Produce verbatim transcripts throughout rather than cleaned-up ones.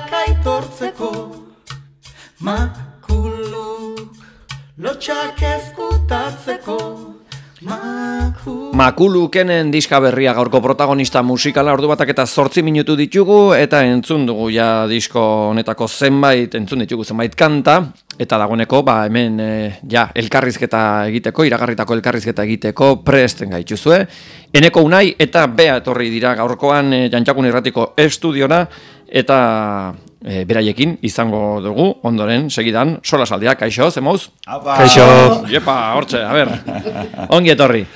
lotxak aitortzeko, makuluk lotxak ezkutatzeko. Makulukenen diska berria gaurko protagonista musikala, ordu batak eta zortzi minutu ditugu, eta entzun dugu ja disko honetako zenbait, entzun ditugu zenbait kanta, eta dagoeneko, ba, hemen e, ja, elkarrizketa egiteko, iragarritako elkarrizketa egiteko presten gaituzue. Eneko Unai eta Bea etorri dira gaurkoan e, Jantxakun Irratiko estudiora, eta e, beraiekin izango dugu, ondoren, segidan, solasaldia, kaixo, zemoz? Kaixo! Iepa, hortxe, a ber, ongi etorri.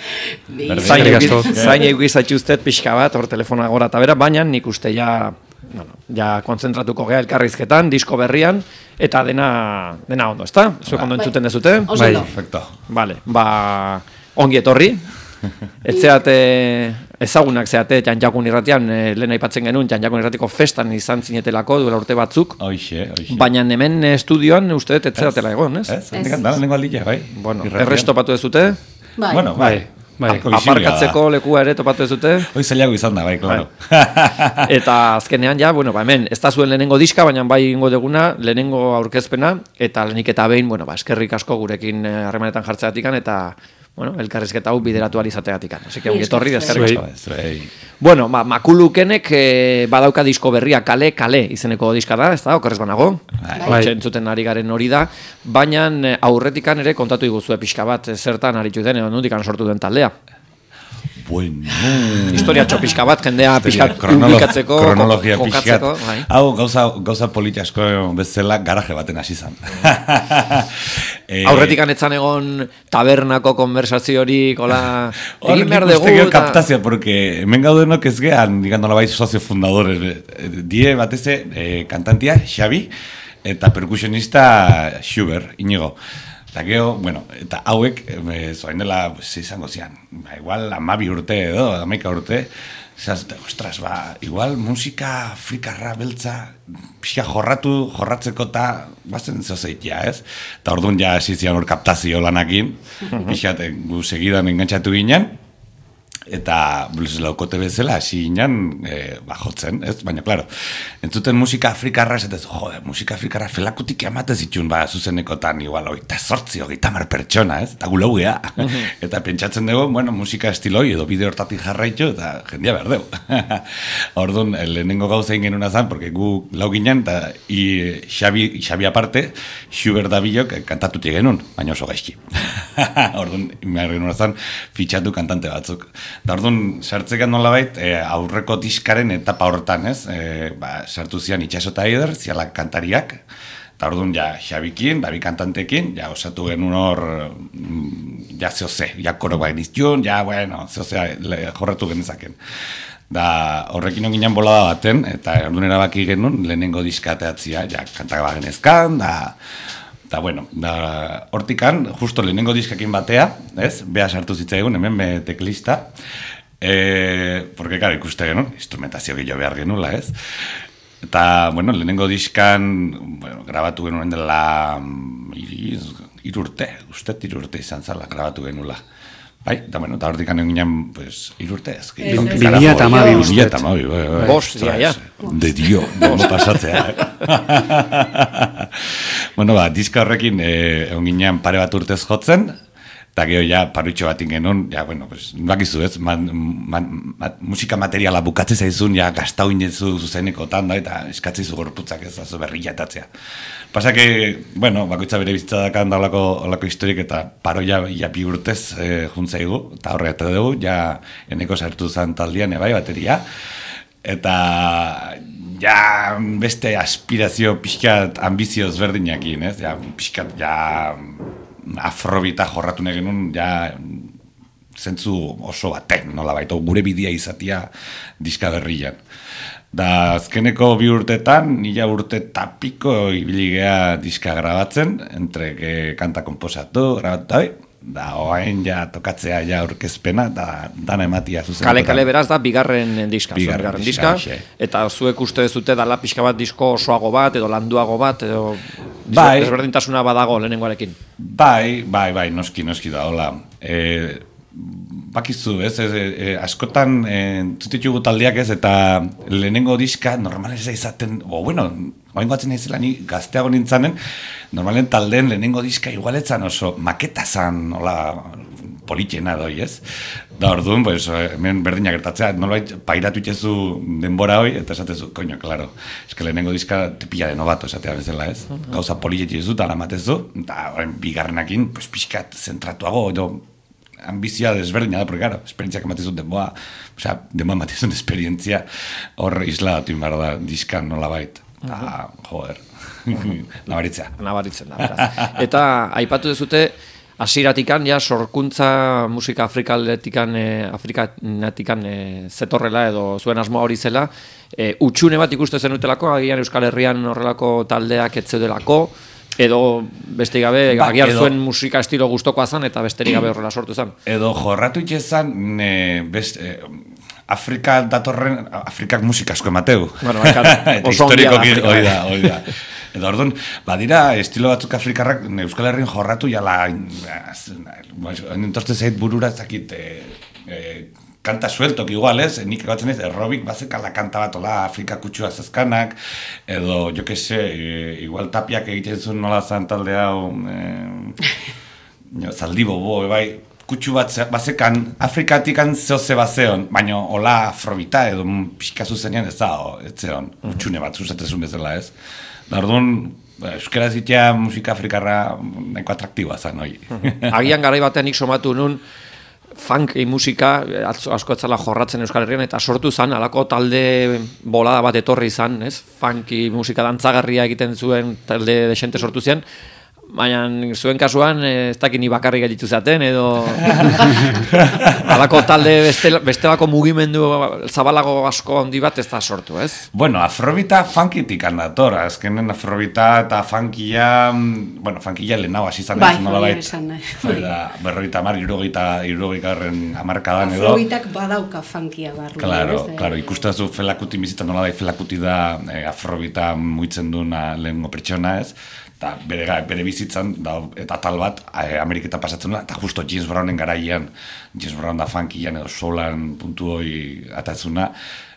Zain egu izatxuztet pixka bat, hor telefona gora eta bera, baina nik uste ja, bueno, ja konzentratuko gea elkarrizketan, disko berrian, eta dena, dena ondo, ezta? Zuek ondo entzuten dezute? Bai, perfecto. Vale, ba, ongi etorri. Etzeate, ezagunak zeate Jantxakun Irratian, e, lehen aipatzen genuen Jantxakun Irratiko festan izan zinetelako duela urte batzuk. Hoxe, hoxe. Baina hemen estudioan uste dut etzeatela egon, ez? Ez, ez, da, lehenko aldia, bai. Bueno, errez topatu dezute? Bai. Bueno, bai. Bai. Aparkatzeko lekua ere topatu dezute? Hoi zailago izan da, bai, klaro. Eta azkenean ja, bueno, ba, hemen, ez da zuen lehenengo diska, baina bai ingo deguna, lehenengo aurkezpena, eta lehenik eta behin, bueno, ba, eskerrik asko gurekin harremanetan jartzeatikan, eta bueno, elkarrizketa hau bideratu alizateatikan. Así que ongi etorri, eskerrik asko. Bueno, ma, Makulukenek eh, badauka disko berria kale, kale izeneko diska da, ez da, okerrez banago? Bai. Entzuten ari garen hori da, baina aurretikan ere kontatu iguzue pixka bat, zertan aritu den, edo nondikan sortu den taldea. Bueno. Historia txopixka bat, jendea pixkat ubikatzeko, kronologia pixkat. Bai. Hau, gauza, gauza politi asko bezala garaje baten hasi zan. eh, Aurretikan etzan egon tabernako konversaziorik, hola, egin behar dugu. Horrek uste kaptazioa, porque hemen gaudenok ez gehan, digando la bai, socio fundadores. Die bateze, eh, kantantia, Xabi, eta percusionista Schubert, Inigo. Eta geho, bueno, eta hauek, e, zoain dela, izango zian, ba, igual amabi urte edo, amaika urte, zazte, ostras, ba, igual musika afrikarra beltza, pixka jorratu, jorratzeko eta, bazen zozeit, ja, ez? Eta orduan ja zizian hor kaptazio lanakin, pixka, gu segidan engantzatu ginen, eta blues laukote bezala hasi ginen e, ba, jotzen, ez? Baina, klaro, entzuten musika afrikarra esatez, jode, musika afrikarra felakutik ematez itxun, ba, zuzenekotan, igual, oita sortzi, oita mar pertsona, ez? Eta gulau gea. Eta pentsatzen dugu, bueno, musika estiloi edo bide hortatik jarraitu, eta jendia behar dugu. Orduan, lehenengo gauza ingen genuen azan, porque gu lau ginen, eta i, Xabi, Xabi aparte, Schubert Dabilok kantatutik genuen, baina oso gaizki. Orduan, imar genuen azan, fitxatu kantante batzuk. Da orduan, sartzekan nolabait, e, aurreko diskaren etapa horretan, ez? E, ba, sartu zian Itxaso eta Eider, zialak kantariak, eta orduan, ja, Xabikin, babi kantantekin, ja, osatu genuen hor, ja, zehoze, ja, koro bain iztiun, ja, bueno, zehoze, jorratu genezaken. Da, horrekin onginan bolada baten, eta orduan erabaki genuen, lehenengo diskateatzia, ja, kantak bagenezkan, da, eta, bueno, da, hortikan, justo lehenengo diskakin batea, ez? Bea sartu zitzaigun, hemen be teklista. E, porque, claro, ikuste genuen, instrumentazio gehiago behar genula, ez? Eta, bueno, lehenengo diskan, bueno, grabatu genuen dela irurte, uste irurte izan zala, grabatu genula. Bai, eta, bueno, eta hortikan egin pues, irurte ez. Bilia eta amabi uste. Bilia eta amabi, bai, bai. Bostia, ja. De dio, no pasatzea. Bueno, ba, diska horrekin egon ginen pare bat urtez jotzen, eta gero ja parutxo batin genuen, ja, bueno, pues, bakizu ez, man, man, man, musika materiala bukatze zaizun, ja, gaztau inezu zuzenekotan, da, eta eskatzeizu gorputzak ez, azo berriatatzea. Pasa que, bueno, bakoitza bere bizitza dakan da olako historik, eta paro ja, ja bi urtez e, juntzaigu, eta horregat dugu, ja, eneko sartu zan taldian, ebai, bateria, eta ja beste aspirazio pixkat ambizioz berdinakin, ez? Ja, pixkat, ja afrobita jorratu nahi genuen, ja zentzu oso baten, nola baita, gure bidea izatia diska berrian. Da, azkeneko bi urtetan, nila urte tapiko ibili gea diska grabatzen, entre que kanta komposatu, grabatu, da, oain ja tokatzea ja aurkezpena, da, dana ematia zuzen. Kale-kale beraz da, bigarren diska, bigarren, bigarren diska, eta zuek uste dezute dala pixka bat disko osoago bat, edo landuago bat, edo bai, desberdintasuna badago lehenengoarekin. Bai, bai, bai, noski, noski da, hola. E, bakizu, ez, ez, e, askotan entzutitugu taldeak ez, eta lehenengo diska normalen ez izaten, o bueno, oain goatzen naizela ni gazteago nintzanen, normalen taldeen lehenengo diska igualetzan oso maketa zan, hola, politxena doi, ez? Da orduan, pues, hemen berdina gertatzea, nolabait pairatu itxezu denbora hoi, eta esatezu, koño, claro, eske lehenengo diska te pilla de novato, esatea bezala, ez? Gauza politxetxe zu, eta lamatezu, eta horren bigarrenakin, pues, pixkat zentratuago, edo, ambizia desberdina da, porque, claro, esperientziak ematezun denboa, osea, denboa ematezun esperientzia, hor isladatu inbar da, diskan nolabait, eta, joder, nabaritzea. Nabaritzen da, beraz. Eta, aipatu dezute, hasieratikan ja sorkuntza musika afrikaletikan eh, afrikanatikan eh, zetorrela edo zuen asmoa hori zela, eh, utxune bat ikuste zenutelako, agian Euskal Herrian horrelako taldeak ez zeudelako, edo besterik gabe ba, agian edo, zuen musika estilo gustokoa zan eta besterik gabe horrela sortu zan. Edo jorratu itxezan eh, best, eh, Afrika datorren, Afrikak musika asko emateu. Bueno, eta historikoki hori da, hori da. Edo orduan, badira, estilo batzuk afrikarrak Euskal Herrin jorratu jala, entorte zait burura ezakit, e, e, kanta sueltok igual, ez? Nik egatzen ez, aerobik bazekala kanta bat, ola, Afrika kutsua zezkanak, edo, jo que se, e, igual tapiak egiten zuen nola zan talde hau, e, zaldi bobo, bai, kutsu bat bazekan, Afrikatikan zehoze bazeon, baina hola afrobita edo pixka zuzenean ez da, ez zeon, utxune bat zuzatezun bezala, ez? Orduan, euskara zitea musika afrikarra nahiko atraktiboa zen, hoi. Agian garai batean nik somatu nun funk musika asko etzala jorratzen Euskal Herrian eta sortu zen, alako talde bolada bat etorri izan, ez? Funky musika dantzagarria egiten zuen talde desente sortu zen, baina zuen kasuan ez dakit ni bakarrik gelditu zaten edo alako talde beste, bestelako mugimendu zabalago asko handi bat ez da sortu, ez? Bueno, afrobita funkitik handator, azkenen afrobita eta funkia, bueno, funkia lehenago hasi zan ez, bai, nola bait. Bai, berrogeita hamar, hirurogeita hirurogeitagarren hamarkadan edo. Afrobitak badauka funkia barru. Claro, ez, claro, ikustazu felakuti bizita nola bai felakuti da eh, afrobita muitzen duna lehengo pertsona, ez? Eta bere, bere bizitzan, da, eta tal bat, e, Ameriketa pasatzen da, eta justo James Brownen garaian, James Brown da funkian edo solan puntu hoi atatzuna,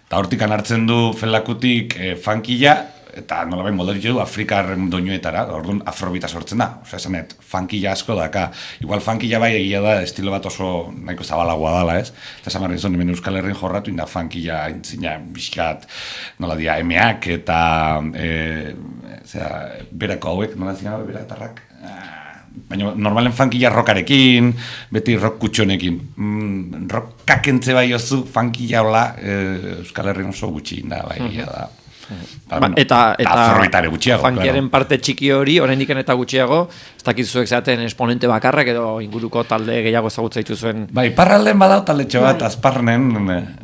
eta hortikan hartzen du felakutik e, funkia, eta nola behin moldatu du Afrikarren doinuetara, orduan afrobita sortzen da, osea, esanet, funkia asko daka, igual funkia bai egia da, estilo bat oso nahiko zabalagoa dala, ez? Eta esan barri zuen, hemen Euskal Herrin jorratu, inda funkia intzina bizkat, nola dia, emeak eta, e, zera, berako hauek, nola zina, beratarrak, baina normalen funkia rockarekin, beti rock kutxonekin, mm, rockak entze bai ozu, funkia hola, e, Euskal Herrin oso gutxi inda, bai egia da. Ba, bueno, eta eta gutxiago, funkiaren claro. Parte txiki hori, oraindik eta gutxiago, ez dakit zuek zaten esponente bakarrak edo inguruko talde gehiago ezagutza dituzuen. Bai, parralden badau taldetxo bat, bai. Azparnen,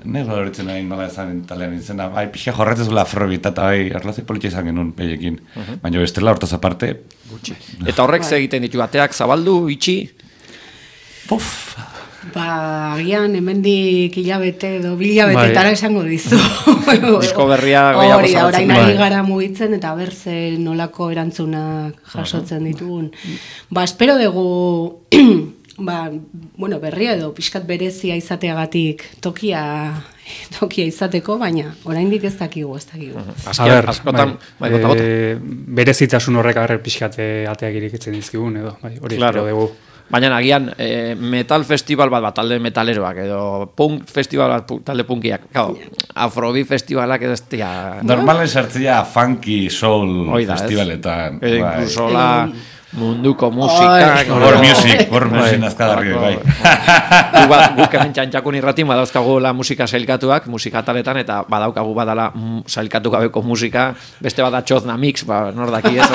nire horitzen nahi nola ezaren talean izena, bai, pixka jorretzezula afrobita, eta bai, erlazi politxe izan genuen peiekin, uh -huh. baina bestela hortaz aparte. Gutxi. Eta horrek ze egiten ditu, bateak zabaldu, itxi? Puf! Ba, agian hemendik hilabete edo bilabetetara esango dizu. Disko berria gehiago hori, zabaltzen. orain ari gara mugitzen eta berze nolako erantzunak jasotzen ditugun. Ba, espero dugu ba, bueno, berria edo pixkat berezia izateagatik tokia tokia izateko, baina oraindik ez dakigu, ez dakigu. Azker, askotan, bai, e, berezitasun horrek agarrer pixkat ateak irikitzen dizkigun edo, bai, hori claro. espero dugu. Baina agian e, metal festival bat bat, talde metaleroak, edo punk festival bat, talde punkiak. Claro, afrobeat festivalak ez dira... Normalen sartzea funky soul Oida, festivaletan. E, incluso la munduko musika... War music, war music nazkadarri, bai. Guk hemen txantxakun irratin badauzkagu la musika sailkatuak, musika taletan, eta badaukagu badala sailkatu gabeko musika, beste bada txozna mix, ba, nordaki ez,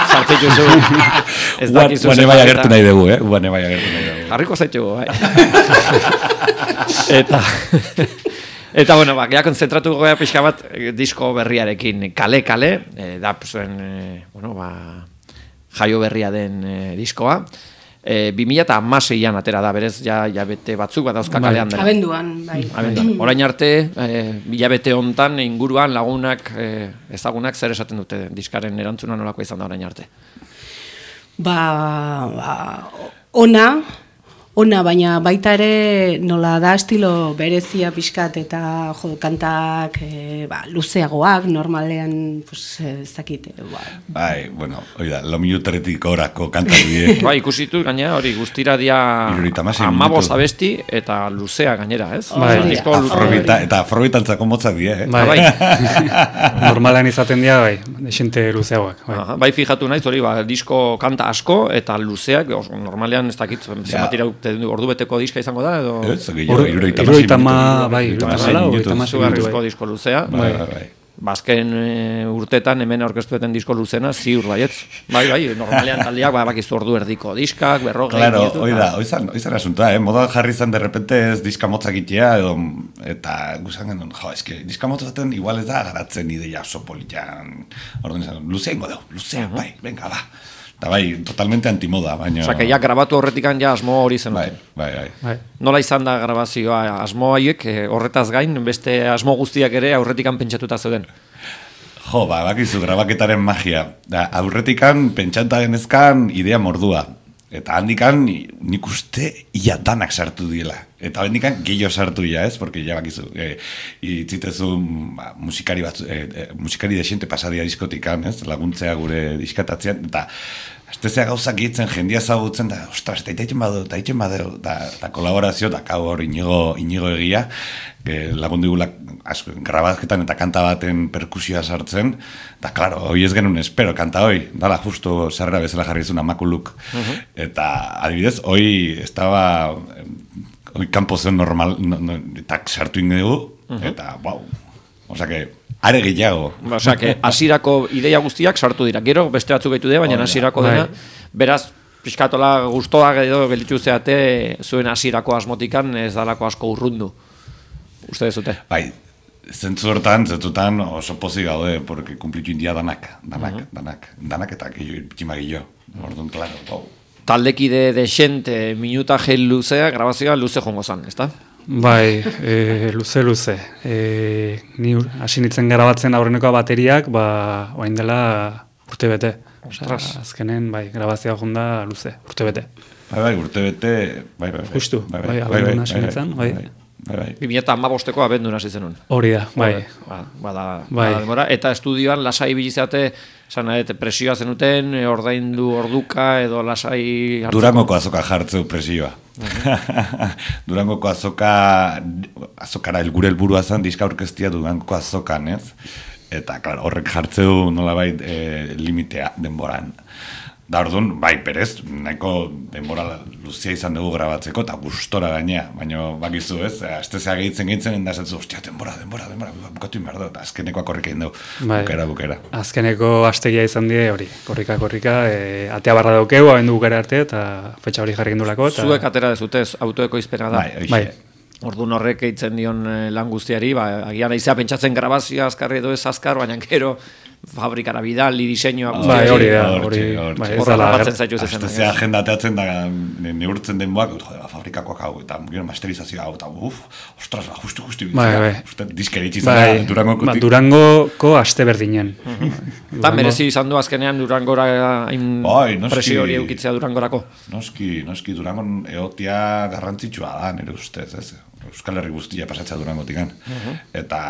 sartzitu zu. Guane bai agertu nahi dugu, eh? Guane bai agertu nahi dugu. Harriko zaitugu, bai. Eta... Eta, bueno, ba, geha konzentratu goea pixka bat disko berriarekin, kale-kale, e, da, zuen, e, bueno, ba, jaio berria den e, diskoa. E, bi mila hamaseian atera da, berez, ja, ja bete batzuk bat dauzka kalean dela. Abenduan, bai. Abenduan. Orain arte, e, bilabete hontan inguruan lagunak, e, ezagunak zer esaten dute diskaren erantzuna nolakoa izan da orain arte. Ba, ba ona, ona, baina baita ere nola da estilo berezia pixkat eta jo, kantak e, ba, luzeagoak, normalean, pues, ez dakit, ba. Bai, bueno, hori da, lo minuteretik orako kantak die. Bai, ikusitu gainera hori guztira dia hamabost abesti eta luzea gainera, ez? Bai, disko Afrobita, eta afrobitantzako motzak die, eh? Bai, normalan izaten dira, bai, desente luzeagoak. Bai. Aha, bai, fijatu naiz hori, ba, disko kanta asko eta luzeak, oso, normalean ez dakit, zenbat iraute ordu beteko diska izango da, edo... Ez, gehiago, irurogeita hamasei Zugarrizko disko luzea. Bai, bai, bai. Bazken e, urtetan hemen aurkeztueten disko luzena, ziur baietz. Bai, bai, normalean taldeak ba, bakizu ordu erdiko diskak, berrogei... Claro, hoi da, hoi zan, hoi zan asuntoa, eh? Moda jarri zan de repente ez diska motzak itea, edo, eta guzan genuen, jo, eske, diska motzaten igual ez da garatzen ideia oso politan. Orduan izan, luzea ingo deu, luzea, bai, venga, ba. Eta bai, totalmente antimoda, baina... Osa, que ja grabatu horretikan ja asmo hori zen. Bai, bai, bai. bai. Nola izan da grabazioa, asmo haiek, horretaz gain, beste asmo guztiak ere aurretikan pentsatuta zeuden? Jo, ba, bakizu, grabaketaren magia. Da, aurretikan pentsanta genezkan idea mordua. Eta handikan nik uste ia danak sartu diela. Eta handikan gehiago sartu ia, ez? Porque ja bakizu, e, itzitezu ba, musikari, batzu, e, e, musikari desente pasadia diskotikan, ez? Laguntzea gure diskatatzean, eta astezea gauzak gitzen, jendia zagutzen, da, ostras, eta itaitzen badu, eta itaitzen badu, eta kolaborazio, da, kau hor inigo, inigo egia, e, lagundu digula grabazketan eta kanta baten perkusioa sartzen, eta, klaro, hoi ez genuen espero, kanta hoi, dala, justo sarrera bezala jarri zuen amakuluk. Uh-huh. Eta, adibidez, hoi, estaba, hoi kanpo zen normal, no, no, eta sartu indegu, uh-huh. Eta, wow, oza que, are gehiago. Osea, que hasierako ideia guztiak sartu dira. Gero beste batzuk gaitu dira, baina hasierako dena, beraz, pixkatola gustoak edo gelditu zeate, zuen hasierako asmotikan ez dalako asko urrundu. Uste dezute? Bai, zentzu hortan, zentzutan oso pozik gaude, porque kumplitu india danak, danak, uh-huh. danak, danak eta pitxima gillo. Orduan, claro, wow. Taldekide desente, minutaje luzea, grabazioa luze jongo zan, ezta? Bai, e, luze, luze. E, ni hasi nintzen grabatzen aurreneko bateriak, ba, oain dela urte bete. Osea, azkenen, bai, grabazioa jonda luze, urte bete. Bai, bai, urte bete, bai, bai, bai. Justu, bai, bai, abendun hasi nintzen, bai. Bai, bai. bi mila hamabosteko abendun hasi zenun. Hori da, bai. Ba, bada, bai. bada demora. Eta estudioan lasai bilizate, esan nahet, presioa zenuten, ordaindu orduka edo lasai hartzeko. Durangoko azoka jartzeu presioa. Durangoko azoka, azokara elgure helburua zen, diska aurkeztia Durangoko azokan, ez? Eta, klar, horrek jartzeu nolabait e, limitea denboran. Da orduan, bai, perez, nahiko denbora luzia izan dugu grabatzeko, eta gustora gainea, baina bakizu, ez? Astezea gehitzen gehitzen, endazatzu, ostia, denbora, denbora, denbora, bukatu inberdo, eta azkenekoak horrek egin dugu, bai. bukera, bukera. Azkeneko astegia izan die hori, korrika, korrika, e, atea barra daukeu, abendu bukera arte, eta fetxa hori jarri gendulako. Eta... Zuek atera dezutez, autoeko izpena da. Bai, bai. Orduan horrek eitzen dion lan guztiari, ba, agian aizea pentsatzen grabazioa azkarri edo ez azkar, baina gero fabrikara bidali, diseinua guzti. Bai, hori da, hori. Horra batzen zaitu zezen. Astezea agenda teatzen da, neurtzen denboak, jode, fabrikakoak hau, eta gero masterizazioa hau, eta uf, ostras, ba, justu, justu, bai, bai. Uste, diskeritzi zara bai. Durangoko. Ba, Durangoko aste berdinen. Eta merezi izan du azkenean Durangora hain bai, presio hori eukitzea Durangorako. Noski, noski, Durangon egotia garrantzitsua da, nire ustez, ez? Euskal Herri guztia pasatzea Durangotikan. Uh-huh. Eta,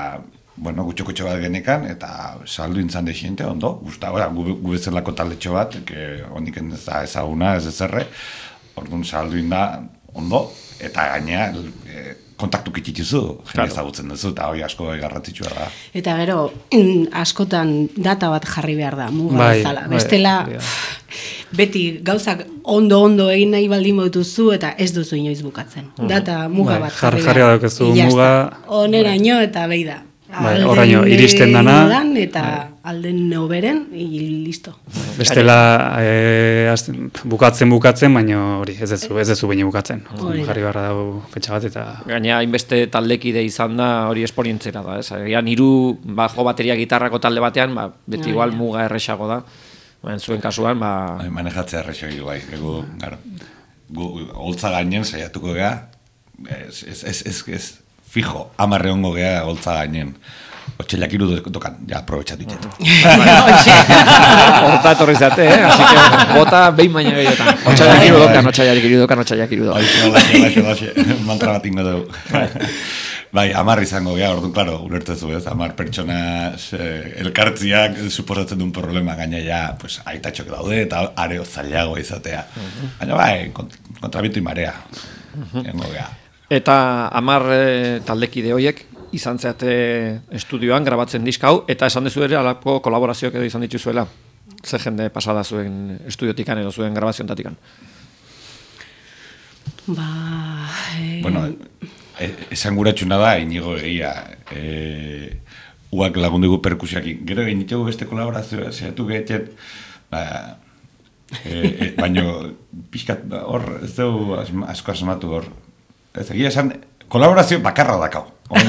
bueno, gutxo-gutxo bat genekan, eta saldu intzan desiente, ondo, guzta, gu, gu bezalako taldetxo bat, que hondik ez da ezaguna, ez ezerre, orduan saldu inda, ondo, eta gainea, e, kontaktu kitituzu, jende ezagutzen duzu, eta hori asko garrantzitsua da. Eta gero, askotan data bat jarri behar da, muga bai, bezala. Bai, bestela, bai, beti gauzak ondo-ondo egin nahi baldin moituzu, eta ez duzu inoiz bukatzen. Uh-huh. Data muga bai, bat jarri jarri behar. Jarri muga... Oneraino eta behi da. Bai, oraino, iristen dana. Eta alden neoberen, listo. Bestela, e, bukatzen bukatzen, baina hori, ez ez ez ez baina bukatzen. Jarri barra dago fetxa bat eta... Gaina, hainbeste taldekide izan da, hori esporientzera da, ez? Egan, hiru bajo bateria gitarrako talde batean, ba, beti igual muga erresago da. Baina, zuen kasuan, ba... Manejatzea erresago bai, egu, garo. Gu, holtza gainen, saiatuko gea, ez, ez, ez, ez, ez fijo, amarre hongo gea holtza gainen. Otsailak hiru dokan, ja, aprobetxatu ditut. Horta etorri zate, eh? Así que bota behin baina gehiotan. Otsailak hiru dokan, otsailak hiru dokan, otsailak hiru dokan. Hoxe, hoxe, hoxe, mantra bat ingo dugu. Bai, amar izango, ja, orduan, klaro, ulertezu ez, amar pertsona eh, elkartziak suposatzen duen problema, gaina ja, pues, aitatxok daude, eta areo zailago izatea. Baina bai, kont kontrabitu imarea, gengo geha. Eta amar e, taldekide horiek izan zeate estudioan grabatzen diska hau, eta esan dezu ere alako kolaborazioak edo izan dituzuela. Ze jende pasada zuen estudiotikan edo zuen grabaziontatikan? Ba... Eh... Bueno, esan guratxuna da, inigo egia, e, uak lagundugu perkusiakin. Gero egin ditugu beste kolaborazioa, zehatu gehiatzen, ba, e, e, baino, pixkat, hor, ez dugu asko asmatu hor. Ez egia esan, kolaborazio bakarra dakau. Bai,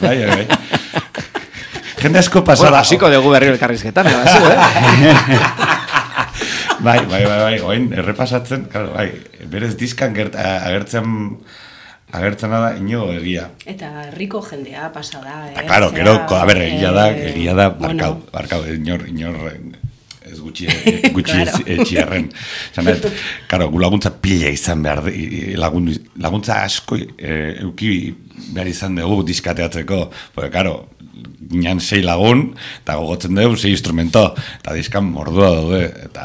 bai, bai. Jende asko pasada. Bueno, hasiko dugu berriro elkarrizketan, da, eh? Bai, bai, bai, bai, oin, errepasatzen, claro, bai, berez diskan gert, agertzen agertzen da inigo egia. Eta herriko jendea pasada, eh? Ta, claro, gero, a ber, egia da, egia da, barkau, bueno. barkau, inor, inor, ez gutxi, gutxi claro. Etxiarren. Zanet, claro, gu laguntza pila izan behar, lagun, laguntza asko e, euki behar izan dugu diskateatzeko, porque, claro, ginean sei lagun, eta gogotzen dugu sei instrumento, eta diskan mordua daude, eta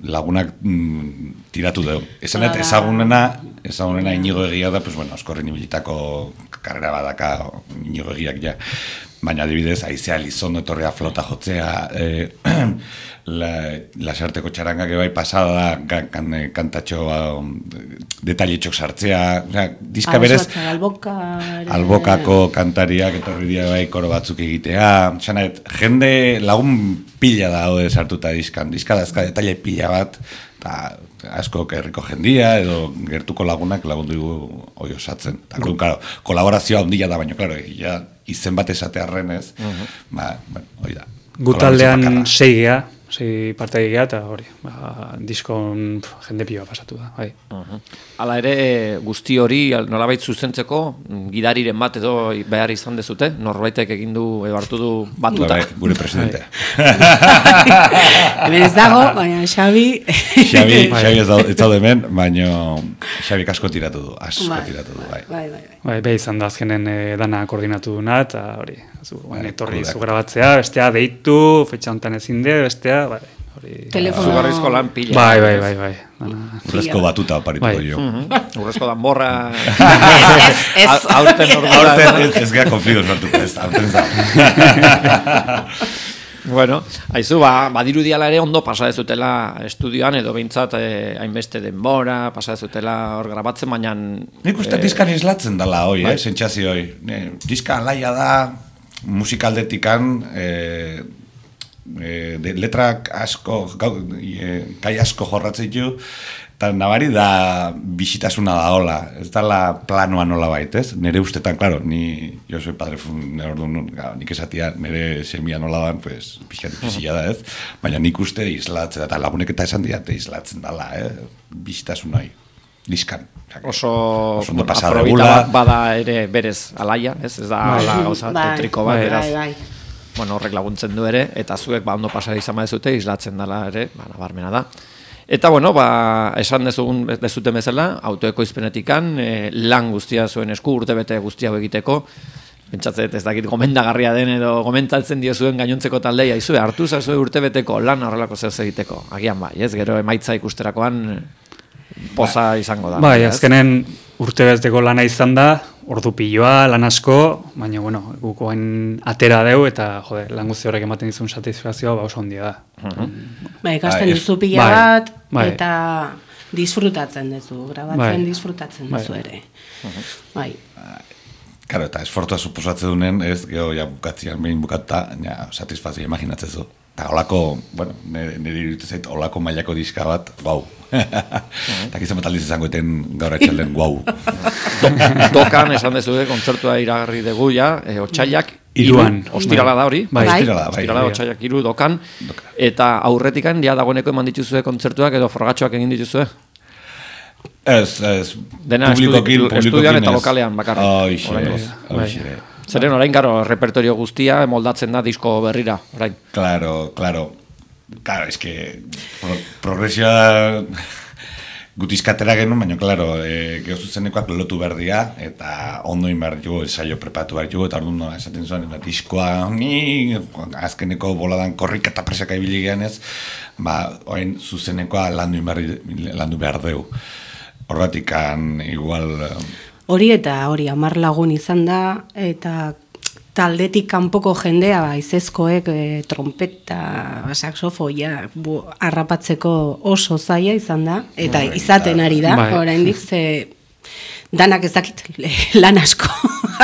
lagunak mm, tiratu dugu. Esanet, ezagunena, ezagunena inigo egia da, pues bueno, oskorren ibilitako karrera badaka inigo egiak ja. Baina adibidez, aizea lizondo etorrea flota jotzea, eh, la, lasarteko txarangak ebai pasada da, kan, kantatxo um, detailetxok sartzea, o sea, diska berez, albokako kantariak etorri dira bai koro batzuk egitea, xanet, jende lagun pila da hode sartuta diskan, diska dazka detaile pila bat, eta asko herriko jendia edo gertuko lagunak lagundu dugu hoi osatzen. Eta, claro, kolaborazioa ondila da, baina, claro, ja, izen bat esatearren ez, uh -huh. ba, bueno, hoi da. Gutaldean sei geha, sei parte geha, eta hori, ba, diskon pf, jende pioa pasatu da, bai. Uh -huh. Hala ere, guzti hori nolabait zuzentzeko, gidariren bat edo behar izan dezute, norbaitek egin du, edo hartu du batuta. Bai, gure presidentea. Hemen ez dago, baina Xabi... Xabi, Xabi ez daude hemen, baina Xabi asko tiratu du, asko bai, tiratu du, bai. Bai, bai, bai. Bai, be izan da azkenen e, dana koordinatu duna, eta hori, zu, bai, etorri zu grabatzea, bestea deitu, fetxa hontan ezin de, bestea, bai. Telefono... Zugarrizko lan pila. Bai, bai, bai, bai. Urrezko batuta oparituko bai. jo. Urrezko danborra... Ez, ez, ez. Aurten ordura. Aurten ez gea konflidos nortuko ez, aurten zau. Bueno, haizu, ba, badirudiala ere ondo pasa dezutela estudioan, edo behintzat eh, hainbeste denbora, pasa dezutela hor grabatzen, baina... Nik uste eh, diskan islatzen dala hoi, bai? eh, sentsazio hoi. Diska alaia da, musikaldetikan... Eh, E, de letrak asko, gau, e, kai asko jorratzen du, eta nabari da bisitasuna da hola, ez da la planoa nola bait, ez? Nere ustetan, claro, ni, jo soy padre fun, orduan, nik esatia, nere semia nola dan, pues, pixkat difizila da, ez? Baina nik uste islatzen, eta lagunek eta esan diate islatzen dala, eh? Bisitasuna hoi, diskan. Oso, oso bueno, afrobita bada ere berez alaia, ez? Ez da ala gauza tetriko bat, beraz. Bai, bai. Bueno, horrek laguntzen du ere, eta zuek ba ondo pasari izan badezute, islatzen dela ere, ba, nabarmena da. Eta bueno, ba, esan dezugun dezuten bezala, autoekoizpenetikan, e, lan guztia zuen esku, urtebete guztia egiteko, pentsatzet ez dakit gomendagarria den edo gomentatzen dio zuen gainontzeko taldea, izue, hartu zazue urtebeteko lan horrelako zer egiteko, agian bai, ez, gero emaitza ikusterakoan poza izango da. Bai, azkenen urtebeteko lana izan da, ordu piloa, lan asko, baina, bueno, gukoen atera deu, eta, jode, lan guzti horrek ematen dizun satisfazioa, ba, oso ondia da. Uh-huh. Bai, ikasten duzu pila bai, bat, bai. eta disfrutatzen duzu, grabatzen bai. disfrutatzen duzu bai. ere. Uh-huh. Bai. Karo, eta esfortua suposatzen duen, ez, geho, ja, bukatzian behin bukata, ja, satisfazio, imaginatzen zu. Eta olako, bueno, nire iruditu zait, olako mailako diska bat, guau. Eta gizan bat aldiz izango eten gaur etxalden, guau. Dokan, esan dezu, kontzertua iragarri dugu, ja, e, otxailak, Iruan. Ostirala da hori. Bai, ostirala, bai. Ostirala, otxailak iru, dokan. Eta aurretikan, ja, dagoeneko eman dituzue kontzertuak edo frogatxoak egin dituzue? Ez, ez, dena publikokin, estudian eta ez. lokalean bakarrik. Hoixe, Oraingoz. hoixe. Zeren orain garo repertorio guztia moldatzen da disko berrira, orain. Claro, claro. Claro, es que pro, progresioa gutizkatera genuen, baina, claro, e, geho zuzenekoak lotu behar dira, eta ondo inbar jugu, ensaio prepatu behar jugu, eta orduan no, esaten zuen, diskoa, ni, azkeneko boladan korrika eta presaka ibili geanez, ba, orain zuzenekoa landu, inbar, landu behar deu. Horratikan, igual... Hori eta hori, hamar lagun izan da, eta taldetik kanpoko jendea, ba, izezkoek, e, trompeta, saxofoia, bu, harrapatzeko oso zaila izan da, eta Bai, izaten ari da, bai. oraindik ze danak ez dakit lan asko,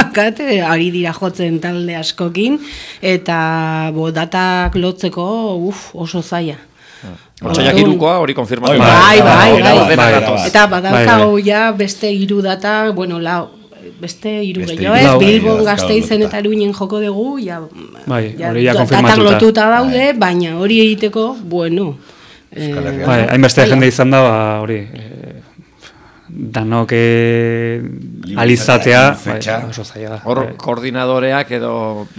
akate, ari dira jotzen talde askokin, eta bo, datak lotzeko uf, oso zaila. Otsaiak irukoa hori konfirmatu. Bai, bai, bai, bai. bai, bai. Eta badaukago ja beste hiru data, bueno, lau, beste hiru Beste gehiago, hiru, ez, bai, Bilbon, bai, Gasteizen dauzkagu eta Iruinen joko dugu, ja, Bai, ja, hori ja datak konfirmatuta. lotuta daude, baina hori egiteko, bueno, Euskal Herrian. Bai, hainbeste jende izan da, ba, hori, e, danok e, alizatea, bai, fetxa. oso zaila da. Hor Bai. koordinadoreak edo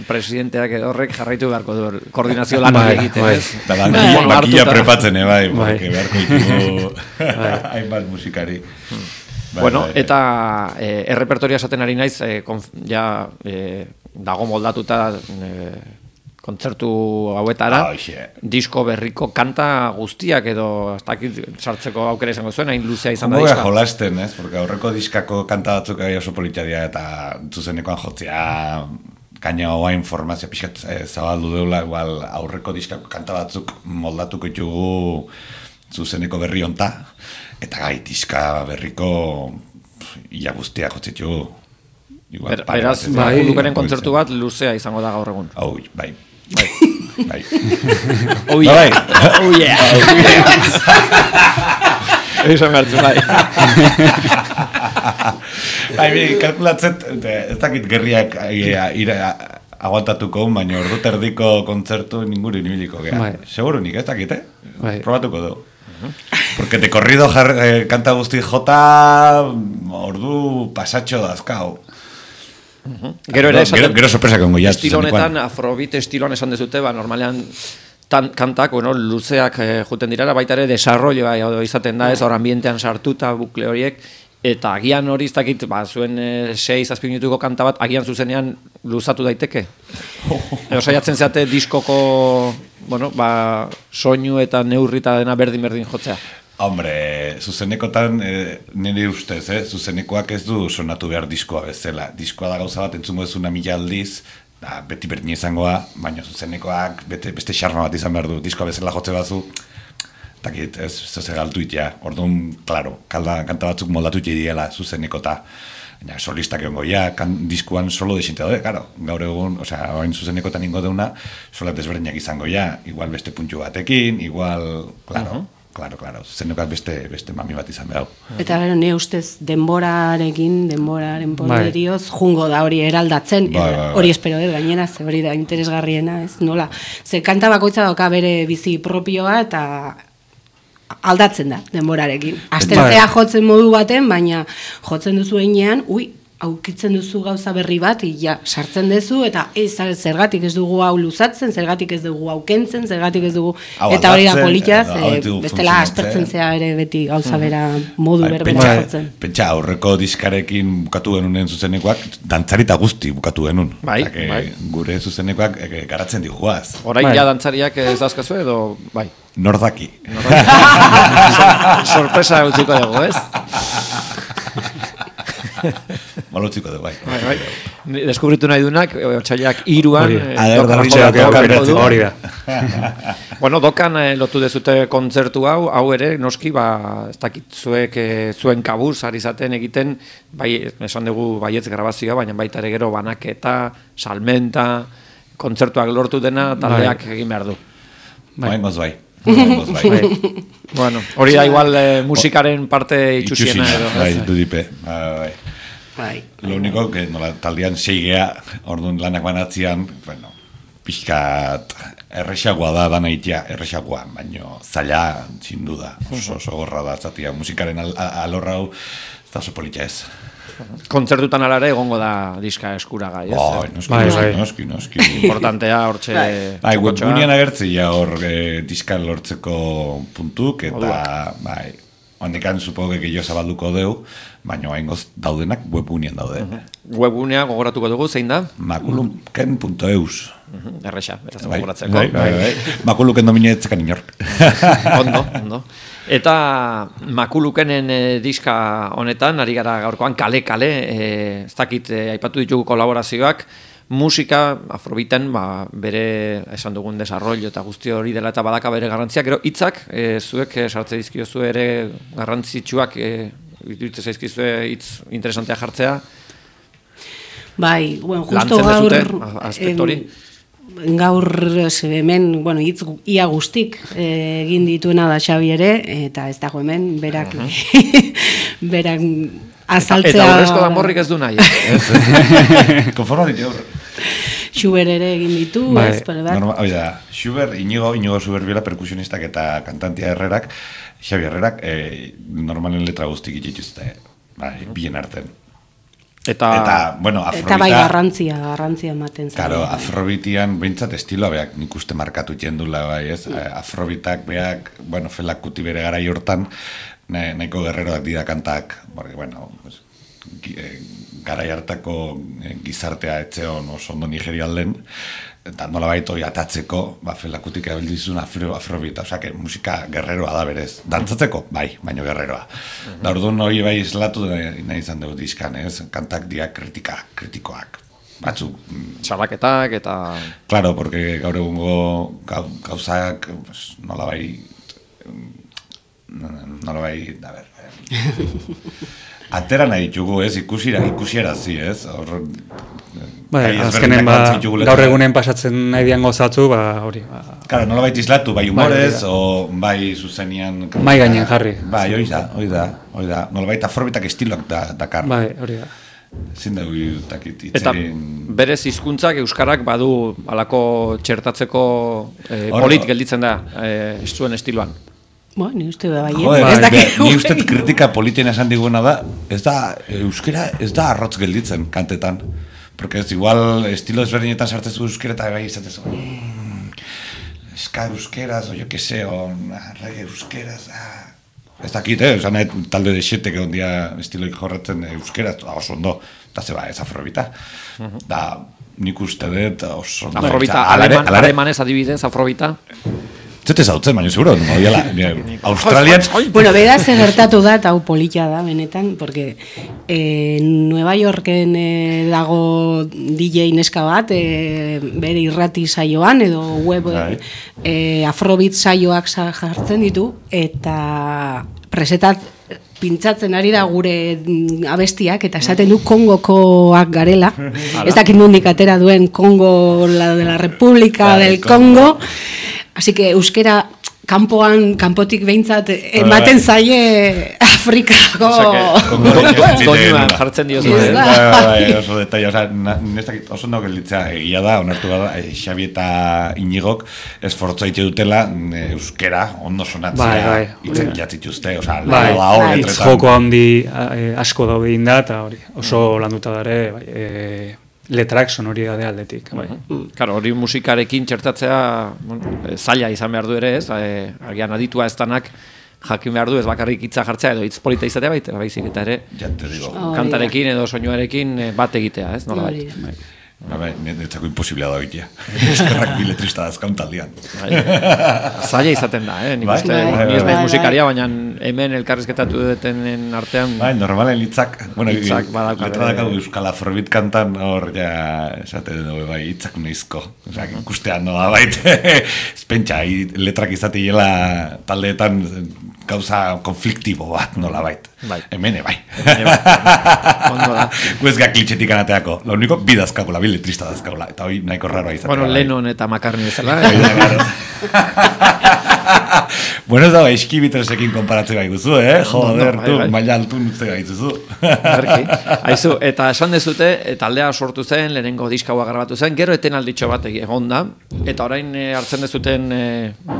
presidenteak edo horrek jarraitu beharko du koordinazio lan Bai, egiten, bai. ez? Eta da, Bai. makilla Hartuta. prepatzen, eh, bai, Bai. porque beharko ditugu hainbat musikari. Bai, Bueno, bai, bai. eta eh, errepertoria esaten ari naiz, eh, konf, ja eh, dago moldatuta eh, kontzertu hauetara, Ah, hoxe. disko berriko kanta guztiak edo ez dakit sartzeko aukera izango zuen, hain luzea izan da Ondo diska. jolasten, ez? Porque aurreko diskako kanta batzuk gai oso politia dira eta zuzenekoan jotzea kaina hoa informazio pixkat eh, zabaldu deula, igual aurreko diskako kanta batzuk moldatuko ditugu zuzeneko berri honta, eta gai diska berriko pf, ia guztia jotzitugu. Igual, Ber, pare beraz, bat, ez? bai, Lukeren Bai, kontzertu bat luzea izango da gaur egun. Hau, bai. Bai. Bai. Oh Bai, yeah. bai. Oh yeah. Eso me hartu, bai. Bai, bi, kalkulatzet, ez dakit gerriak eh, ira, aguantatuko, baina ordu terdiko kontzertu ninguri nibiliko gea. Bai. Seguro nik, ez dakit, eh? Bai. Probatuko du. Porque de corrido jar, eh, kanta guzti jota ordu pasatxo dazkau. Gero ere esaten, Gero, gero sorpresa kongo ja. estilo zuzenekoan. honetan, afrobeat estiloan esan dezute, ba, normalean tan, kantak, bueno, luzeak eh, juten dirara, baita ere desarrolloa edo izaten da ez, hor ambientean sartuta bukle horiek, eta agian hori ez dakit, ba, zuen eh, sei, zazpi minutuko kanta bat, agian zuzenean luzatu daiteke. Edo saiatzen zeate diskoko, bueno, ba, soinu eta neurrita dena berdin-berdin jotzea. Hombre, zuzenekotan, eh, nire ustez, eh, zuzenekoak ez du sonatu behar diskoa bezala. Diskoa da gauza bat, entzungo ezuna mila aldiz, da, beti berdin izangoa, baina zuzenekoak bete, beste xarma bat izan behar du. Diskoa bezala jotze bazu, takit, ez, ez ez galtuit, ja. Orduan, klaro, kalda, kanta batzuk moldatu diela zuzenekota. Baina solistak egongo, ja, kan, diskuan solo desinte daude, karo, gaur egun, osea, orain zuzenekotan ingo deuna, sola desberdinak izango, ja, igual beste puntxu batekin, igual, klaro, Claro, claro, zuzenekoak beste, beste mami bat izan behar. Eta gero, ne ustez denborarekin, denboraren Bai. poderioz, jungo da hori eraldatzen, Bai, bai, bai. hori espero dut gainera, ze hori da interesgarriena, ez, nola. Ze kanta bakoitza dauka bere bizi propioa eta aldatzen da denborarekin. Astentzea jotzen modu baten, baina jotzen duzu einean, ui, aukitzen duzu gauza berri bat, ja, sartzen duzu, eta ez, zergatik ez dugu hau luzatzen, zergatik ez dugu hau kentzen, zergatik ez dugu, Hau eta hori da aldatzen, politaz, edo hau e, ditu bestela funtzionatzen. aspertzen zea ere beti gauza bera modu Bai, berbera pentsa, jotzen. pentsa, aurreko diskarekin bukatu genunen zuzenekoak, dantzarita guzti bukatu genuen. Bai, Osea, que bai. Gure zuzenekoak eh, garatzen dijuaz. Orain Bai. ja dantzariak ez dauzkazu edo, bai. Nordaki. Sorpresa utziko dugu, ez? Malotziko du, bai. Bai, bai. Ni deskubritu nahi dunak, otxailak iruan... Hori. eh, Ader, dokan darritxea, jolatu dokan aurreko du. Hori da. Bueno, dokan eh, lotu dezute kontzertu hau, hau ere, noski, ba, ez dakit zuek eh, zuen kabuz, ari zaten egiten, bai, esan dugu baietz grabazioa, baina baita ere gero banaketa, salmenta, kontzertuak lortu dena, taldeak egin behar du. Bai. Bai, moz bai. Moz bai. Bai. Bueno, hori da igual eh, musikaren parte itxusiena edo. Bai, ez? dudipe. Bai, bai. Bai. Lo único que nola, taldean seigea, orduan lanak banatzean, bueno, pixkat errexagoa da dana itea, errexagoa, baino zaila, sin duda, oso, oso gorra da, zatia, musikaren al, a- alorra hau, eta oso politia ez. Kontzertutan ala ere egongo da diska eskuragai, ez? Bai, noski, Bai, noski, bai. noski, noski. Importantea hortxe Bai, webgunean agertzi ja hor e, diska lortzeko puntuk, eta, Orduan. bai, hondekan supoge gehiago zabalduko deu, baina haingoz daudenak webgunean daude. Webgunea gogoratuko dugu, zein da? Makuluken punto eus. Mhm, Erresa, beraz Bai, gogoratzeko. bai, bai, bai. Makuluken domina etzekan inork. Ondo, ondo. Eta Makulukenen e, diska honetan, ari gara gaurkoan kale-kale, e, ez dakit e, aipatu ditugu kolaborazioak, musika, afrobiten, ba, bere esan dugun desarrollo eta guzti hori dela eta badaka bere garrantzia, gero hitzak e, zuek e, sartze dizkiozu ere garrantzitsuak, e, iruditzen zaizkizue hitz interesantea jartzea, Bai, bueno, justo lantzen gaur dezute, a- aspektu hori. em, gaur ze hemen, bueno, hitz gu- ia guztik eh, egin dituena da Xabi ere, eta ez dago hemen berak berak azaltzea. Eta horrezko danborrik ez du nahi. Konforma ditu hor. Schubert ere egin ditu, Bai, ez, pare bat. Norma, oida, Schubert, Inigo, Inigo Schubert biela perkusionistak eta kantantia Herrerak, Xabi Herrerak, e, normalen letra guztik itxituzte, bai, bien arten. Eta, Eta, bueno, afrobita... Eta bai garrantzia, garrantzia ematen zen. Claro, afrobitian behintzat estiloa beak nik uste markatu jendula bai, ez? Afrobitak beak, bueno, felakuti bere gara hortan, na- nahiko guerreroak dira kantak, porque, bueno, pues, gi- eh, garai hartako eh, gizartea etxeon oso ondo nigerialden, eta nolabait hori atatzeko, ba, felakutik abildizun afro, afrobita, osea, que musika guerreroa da berez. Dantzatzeko, bai, baino guerreroa. Da orduan hori bai islatu nahi izan dugu diskan, ez? Kantak dira kritika, kritikoak. Batzuk, mm, salaketak eta... claro, porque gaur egungo gau, gauzak, pues, nolabai, nolabai, a ver, atera nahi ditugu, ez, ikusira, ikusierazi, ez, hor, Bai, gai azkenen ezberdinak ba, lantzen ditugu letra. gaur egunen pasatzen nahi dian gozatzu, ba, hori, ba, Claro, nolabait islatu, bai humorez, Bai, o bai zuzenian... Mahai gainean jarri. Bai, hori da, hori da, hori da, nolabait afrobitak estiloak da, dakar. bai, hori da. Zin dugu, takit, Eta itzerin... berez hizkuntzak euskarak badu halako txertatzeko e, Hor- polit gelditzen da e, zuen estiloan. Bo, ni uste da bai, Joder, ez bai, dakit. ni uste kritika politiena esan diguna da, ez da, euskera ez da arrotz gelditzen kantetan. Porque ez igual estilo ezberdinetan sartzezu euskera eta bai izatezu. Mm, ska euskeraz, o jo que se, o reggae euskeraz, ah. Ez dakit, eh? Osan nahi talde de xete que ondia estiloik jorratzen euskeraz, oso ondo, eta zeba, ez afrobita. Da, nik uste dut oso ondo. Afrobita, Ala ere- aleman, ala ere- alemanez adibidez, afrobita. Zete zautzen, baina seguro, no, biala, Australian... Bueno, bera ze gertatu da, eta hau polita da, benetan, porque eh, Nueva Yorken eh, dago D J neska bat, eh, bere irrati saioan, edo web Bai. eh, afrobeat saioak sa- jartzen ditu, eta presetat pintzatzen ari da gure mm, abestiak, eta esaten du Kongokoak garela. Ez dakit nondik atera duen Kongo, la de la República Bai, del Kongo. Congo. Así que euskera kanpoan, kanpotik behintzat ematen zaie Afrikako... Doinuan jartzen diozu. Ez eh? da. Bai, bai, bai, oso detaile, oza, nestak oso ondo gelditzea egia da, onartu gara, eh, Xabi eta Inigok esfortza ite dutela eh, euskera ondo sonatzea, Bai, bai. hitzak bilatzituzte, oza, Bai, lehen hau bai. hitz letretan. joko handi eh, asko daude inda, eta hori, oso landuta dare, bai, eh, letrak sonoridade aldetik, bai. Claro, hori musikarekin txertatzea bueno, e, zaila izan behar du ere, ez? E, agian aditua ez danak jakin behar du ez bakarrik hitza jartzea edo hitz polita izatea baita, baizik eta ere Ja te digo. Hori da. kantarekin edo soinuarekin e, bat egitea, ez? Nola Hori bai. da. Ba, bai, netzako imposiblea da egitea. Eskerrak biletrista dazkaun taldean. Bai. Zaila izaten da, eh? Nik Bai, uste, bai, bai, ni ez bai, naiz bai. musikaria, baina hemen elkarrizketatu dutenen artean Bai, normalen hitzak, bueno, Hitzak badauka letra bere- dakau Euskal Afrobit kantan hor ja esate dugu, bai, hitzak noizko. Osea, ikustean noa baita. Ez pentsa, hi- letrak izatiela taldeetan gauza konfliktibo bat nola bait. Bai. Hemene, bai. Hemene, bai. Ondo da. Guezga klitxetik anateako. Lo único, bi dazkagula, bi letrista dazkagula. Eta hoi nahiko raroa izatea. Bueno, bai. Lennon eta McCartney bezala, Hoi eh? da, claro. Bueno, ez da, eskibitresekin konparatzen bai guzu, eh? Joder, bai, tu, bai. maila altu nutze gaituzu. Berki. Aizu, eta esan dezute, taldea sortu zen, lehenengo diskaua grabatu zen, gero etenalditxo bat egon da, eta orain e, hartzen dezuten e,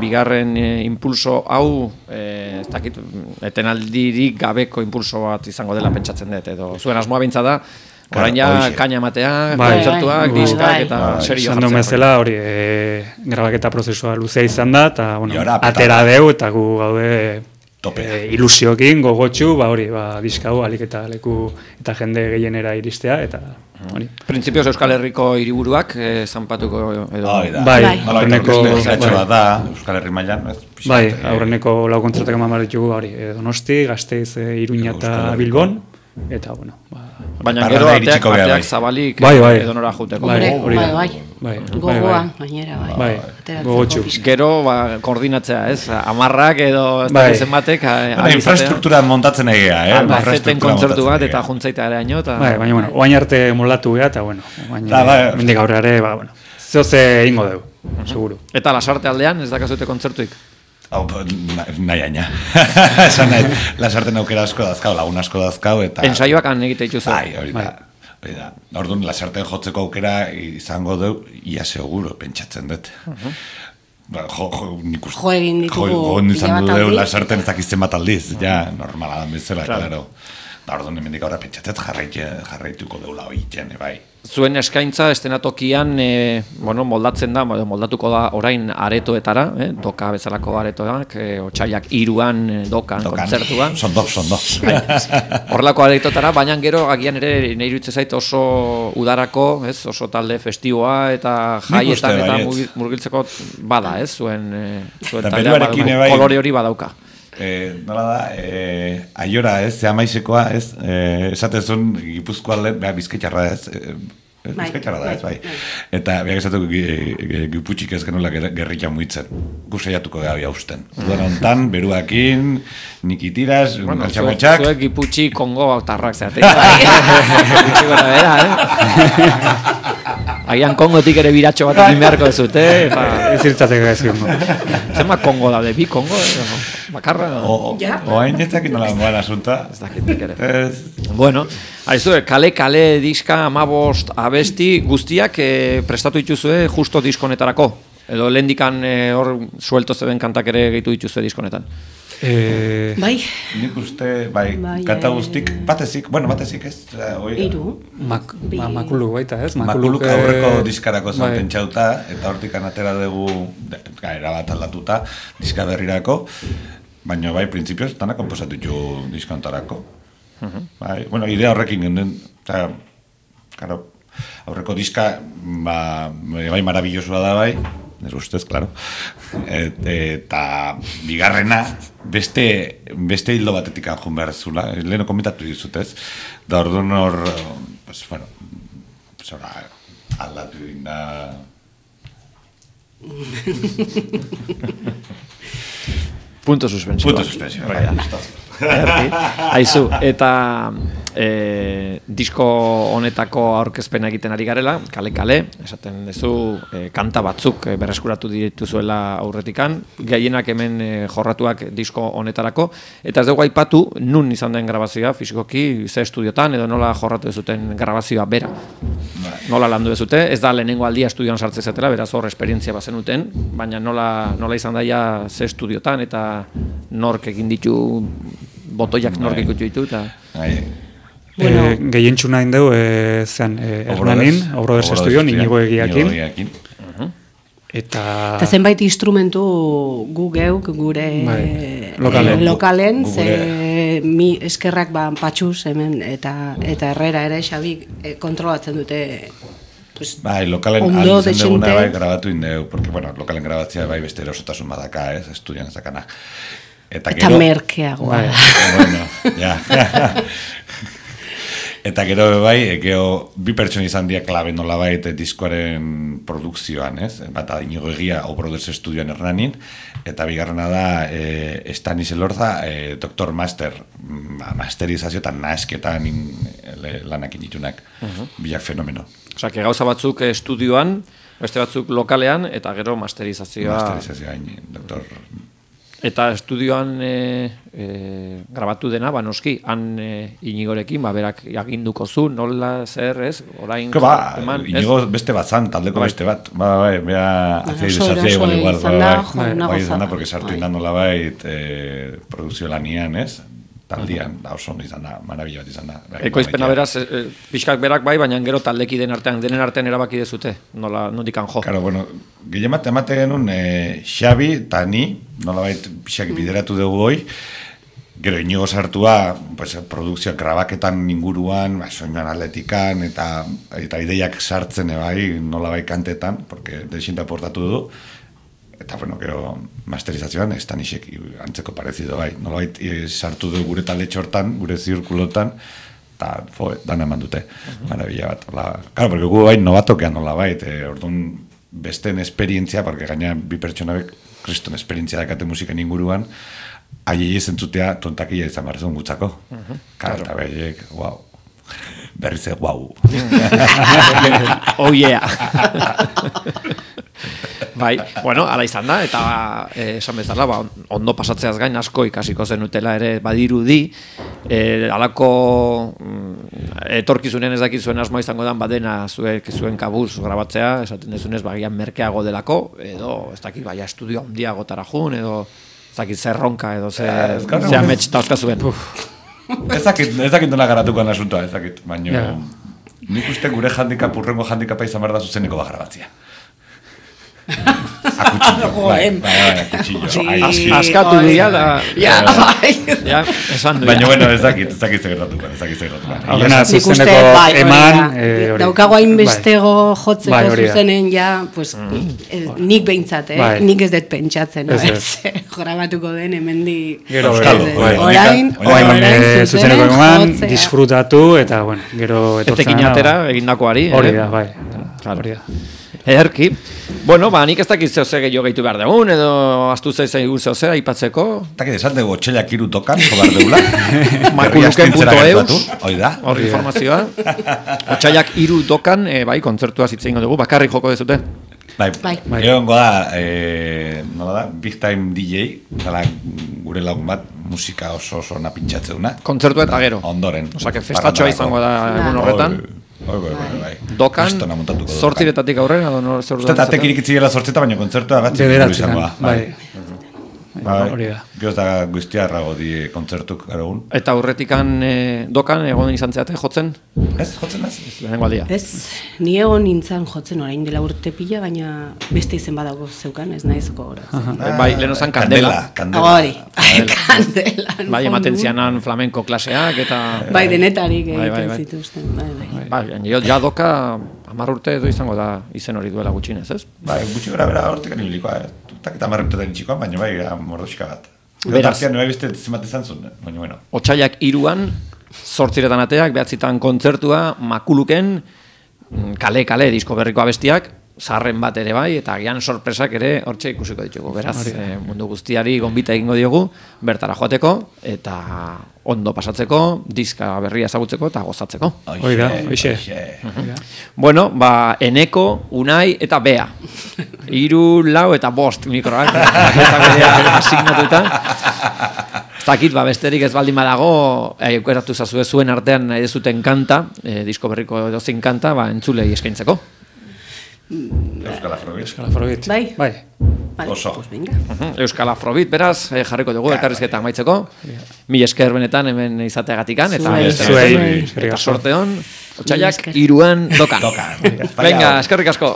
bigarren e, impulso hau, e, ez dakit, etenaldirik gabeko impulso bat izango dela pentsatzen dut, edo zuen asmoa bintza da, orain ja Claro, kaina matea, Bai, kontzertuak, bai, diskak bai. eta Bai. serio Esan duen jartzea. bezala, hori, e, grabaketa prozesua luzea izan da, eta, bueno, Y ahora, atera petala. deu, eta gu gaude Topea. e, ilusiokin, gogotxu, ba hori, ba, diskau, alik eta leku eta jende gehienera iristea, eta hori. Printzipioz Euskal Herriko hiriburuak eh, zanpatuko edo... Hori da. Bai, Bai. Nola aurreneko- aurreneko bai. bat da, Euskal Herri mailan, ez? pixkat, Bai, eh, aurreneko lau kontzertak eman behar ditugu, hori, e, Donosti, Gasteiz, e, Iruña Euskal eta Herriko. Bilbon, eta, bueno, ba, Baina Parranda gero ateak, iritsiko gea, ateak bai. zabalik Bai, bai. edo nora juteko. Bai, Hombre, hori da. bai, bai. bai, Gogoa, bai, gainera, bai. Bai, Ateratzeko gogotsu. pixka. Gero ba, koordinatzea, ez? Amarrak edo ez Bai. dakit zenbatek a- Bueno, ahal izatea. infrastruktura montatzen egea, eh? Albaceten Infrastruktura kontzertu montatzen bat egea. eta juntzaita ere haino, eta... Bai, baina, bueno, oain arte moldatu geha, eta, bueno, oain, Da, bai. mendik aurreare, ba, bueno, zehoze ingo deu, seguru. Eta lasarte aldean, ez dakazute kontzertuik. Hau, na- nahi aina. Esan nahi, lasarten aukera asko dazkau, lagun asko dazkau, eta... Ensaiuak han egite dituzu. Bai, hori da. Hori da. Orduan, lasarten jotzeko aukera izango deu, ia seguro, pentsatzen dut. Ba, jo, jo, nik uste... Jo egin ditugu Jo, jo pila izan bat du deu aldiz. lasarten ez dakizten bat aldiz. Ja, normala da bezala, Claro. claro. Da, orduan, hemendik aurra pentsatzen jarraitu, jarraituko deula hori iten, bai. Zuen eskaintza estenatokian e, bueno, moldatzen da, edo moldatuko da orain aretoetara, eh? Doka bezalako aretoak, e, otsailak hiruan e, dokan, Dokan. kontzertua. Sondo, sondo. Horrelako aretotara, baina gero agian ere nahi iruditzen zait oso udarako, ez, oso talde festiboa eta jaietan uste eta baietz. mugi- murgiltzeko bada, ez, zuen, e, zuen Eta taldea beruarekin bada- bai- kolore hori badauka. Eh, nola da, eh, aiora ez, ze amaizekoa ez, eh, esatezun Gipuzkoa lehen, beha bizkaitxarra ez, eh, Bai, bizkaitxarra da ez, bai. bai, Eta beha esatuko giputxik ez genuela ger- gerrika muitzen, gu saiatuko gara hausten. Udan hontan, beruakin, nikitiraz, Bueno, zuek, galtxamotxak, zuek Giputxi Kongo autarrak zeate. Giputxi gora bera, eh? Agian Kongotik ere biratxo bat egin beharko dezute, eta... Ez irtzateko ez gongo. Zenbat Kongo daude, bi Kongo, eh? Bakarra? o, o, Ja. oain ez dakit nola moan asunta. Ez dakitik ere. Ez, Bueno, aizu, kale-kale diska, amabost, abesti, guztiak eh, prestatu dituzue justo diskonetarako? Edo lehendikan eh, hor suelto zeben kantak ere gehitu dituzue diskonetan? E, Bai, nik uste, bai, Bai, kanta eh, guztik, batezik, bueno, batezik ez, eh, hoi- hiru. mak, Bi. ma, makuluk baita, ez? Makuluk eh, aurreko diskarako zen bai. pentsauta, eta hortik atera dugu gaera bat aldatuta diska berrirako, baina bai, printzipioz, dana komposatu ditu diskontarako. Bai, bueno, idea horrekin genden, eta, claro, aurreko diska, ba, bai, marabillosoa da bai, ez ustez, claro. Et, eta bigarrena, beste, beste hildo batetik anjun behar zula, leheno komentatu dizut ez, da orduan hor, pues, bueno, pues, ora, aldatu dinda... Punto suspensibo. Punto suspensio, bai, Ederki. Aizu, eta e, disko honetako aurkezpena egiten ari garela, kale-kale, esaten duzu e, kanta batzuk e, berreskuratu dituzuela aurretikan, gehienak hemen e, jorratuak disko honetarako, eta ez dugu aipatu nun izan den grabazioa, fisikoki, ze estudiotan, edo nola jorratu dezuten grabazioa bera. Nola landu dezute, ez da lehenengo aldia estudioan sartze zetela, beraz hor esperientzia bazenuten, baina nola, nola izan daia ze estudiotan, eta nork egin ditu, botoiak nork ikutu ditu, eta... Bai, Bueno. E, gehientxu nahi deu, e, zean, e, Hernanin, Obroders Estudioan, inigo egiakin, eta... Eta zenbait instrumentu gu geuk gure Bai, lokalen. eh, lokalen, Gu- ze gure- mi eskerrak ba patxuz hemen eta eta Herrera ere Xabik eh, kontrolatzen dute pues, Bai, lokalen ondo aldizen deguna dezente. bai grabatu indeu, porque, bueno, lokalen grabatzea bai beste erosotasun badaka, ez, estudian ezakana. Eta, Eta gero, merkeagoa. Bai. bueno, ja. Eta gero bai, e, gero bi pertsona izan dira klabe nolabait diskoaren produkzioan, ez? Bata Inigo Egia Obroders Estudioan Hernanin, eta bigarrena da e, Stanis Elorza, e, doktor master, ba, masterizazio eta nasketan in, le, lanak inditunak, bilak fenomeno. Osea, que gauza batzuk estudioan, beste batzuk lokalean, eta gero masterizazioa... Masterizazioa, in, doktor Eta estudioan e, e, grabatu dena, ba, noski, han e, Inigorekin, ba, berak aginduko zu, nola, zer, ez? Orain, ba, eman, Inigo beste bat zan, taldeko bai. beste bat. Ba, bai, bea, azia Oso izazia igual, eraso igual, izan bai, da, bai, jo, bai, una bai, izan da, gozada. porque sartu Bai. indan nola bait, eh, produzio lanian, ez? Taldian, da oso ondo izan da, marabila bat izan da. Ekoizpena beraz, e, pixkak berak bai, baina gero taldeki den artean, denen artean erabaki dezute, nola, nondikan jo. Claro, bueno, gehiamat emate genuen eh, Xabi eta ni, nolabait pixak bideratu dugu hoi, gero Inigo sartua, pues, produkzioak grabaketan inguruan, ba, soinuan atletikan, eta, eta ideiak sartzen bai, nolabait kantetan, porque desinta portatu du, eta bueno, gero masterizazioan ez da nisek antzeko parezido bai, nolabait eh, sartu du gure talde txortan, gure zirkulotan, eta jo, dana eman dute, marabila bat. Hola. Claro, porque gu bai novatokean nolabait, eh, orduan besten esperientzia, porque gaina bi pertsonabek kriston esperientzia dakate musiken inguruan, aiei zentzutea tontakia izan behar zuen gutzako. Claro, eta behiek, wow. Berriz ez, wow. Oh yeah. Bai, bueno, ala izan da, eta eh, esan bezala, ba, ondo pasatzeaz gain asko ikasiko zenutela ere badirudi, eh, alako mm, etorkizunen ez dakizuen asmoa izango dan badena zuek zuen kabuz grabatzea, esaten dezunez bagian merkeago delako, edo ez dakit baia estudio handiagotara jun, edo ez dakit zerronka, edo ze, ze amets tauzka zuen. Ez dakit, ez dakit nola garatukoan asuntoa, ez dakit, baina Ja. nik uste gure handikap, urrengo handikapa izan behar da zuzeneko bagrabatzia. Akutxillo, bai, bai, bai, akutxillo. Sí. As, askatu dira da... Ja, bai. Ja, esan du. Baina, bueno, ez dakit, ez dakit zegertatuko, ez dakit zegertatuko. Aurrena Nik uste, zuzeneko bai, hori eman, da. eh, hori. Daukago hainbestego jotzeko Bai, hori da. zuzenen ja, pues, eh, nik behintzat, eh? Bai. Nik ez dut pentsatzen, Ez, no? ez. Ez, grabatuko den hemendik. Gero, Euskalo, eh, bai. Orain, Orain, Orain, orain, eh, zuzeneko eman, jotzea. disfrutatu, eta, bueno, gero etortzen Etekin atera egindakoari. Hori eh? da, bai. Claro. Hori da. Ederki. Bueno, ba, nik ez dakit zeo ze gehiago gehitu behar dugun, edo astu zaizu zeo ze, aipatzeko. Eta que esan dugu otxelak iru tokan, jobar deula. Makuluken punto eus. Hoi da. Hor informazioa. Otsaiak hiru dokan, e, bai, kontzertua zitzen dugu, bakarrik joko dezute. Bai, Bai. bai. Gero da, eh, nola da, Big Time D J, dala gure lagun bat, musika oso oso napintxatze duna. Kontzertua eta gero. Ondoren. Osa, que festatxoa izango da egun horretan. Bai, bai, bai, bai. Dokan, Kristona montatuko du. zortziretatik aurrera, edo nor zer Uste atek irikitziela zortzeta, baina kontzertua bat Bederatzean, izango da. bai. Bai, Hori da. Gero da guztiarrago di kontzertuk garogun. Eta aurretikan e, dokan egon izan zeate jotzen, Ez, jotzen ez? lehenengo aldia. Ez, ni egon nintzen jotzen orain dela urte pila, baina beste izen badago zeukan, ez naizko horatzen. Bai, lehen ozan kandela. Kandela. Hori, kandela. Bai, ematen zianan flamenko klaseak, eta... Bai, denetarik Bai, bai, egiten bai. zituzten. Bai, bai. Bai, ja, ja doka hamar urte edo izango da izen hori duela gutxinez, ez? Bai, gutxi gara bera hortik anibilikoa, eh? Tutak eta marreptetan txikoan, baina bai, gara mordoxika bat. Beraz. Beraz. Bai beste zimat izan zuen, baina bueno. Otsaiak iruan, zortziretan ateak, behatzitan kontzertua, makuluken, kale-kale disko berriko abestiak, zaharren bat ere bai, eta gian sorpresak ere hortxe ikusiko ditugu. Beraz, eh, mundu guztiari gonbita egingo diogu, bertara joateko, eta ondo pasatzeko, diska berria ezagutzeko eta gozatzeko. Hori da, hoxe. Bueno, ba, Eneko, Unai eta Bea. Hiru, lau eta bost mikroak. Eta berea asignatuta. Zakit, ba, besterik ez baldin badago, aukeratu zazue zuen artean nahi dezuten kanta, eh, disko berriko edozein kanta, ba, entzulei eskaintzeko. Euskal Afrobit. Euskal Afrobit. Bai. Bai. Vale, Oso. pues venga. Euskal Afrobit, beraz, eh, jarriko dugu elkarrizketa amaitzeko. Mil esker benetan hemen izateagatikan, eta, Zuei, beste- zuei. eta Eskerrik asko. sorte hon, Mila otsaiak esker. iruan dokan. Dokan. Venga, eskerrik asko.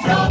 flor.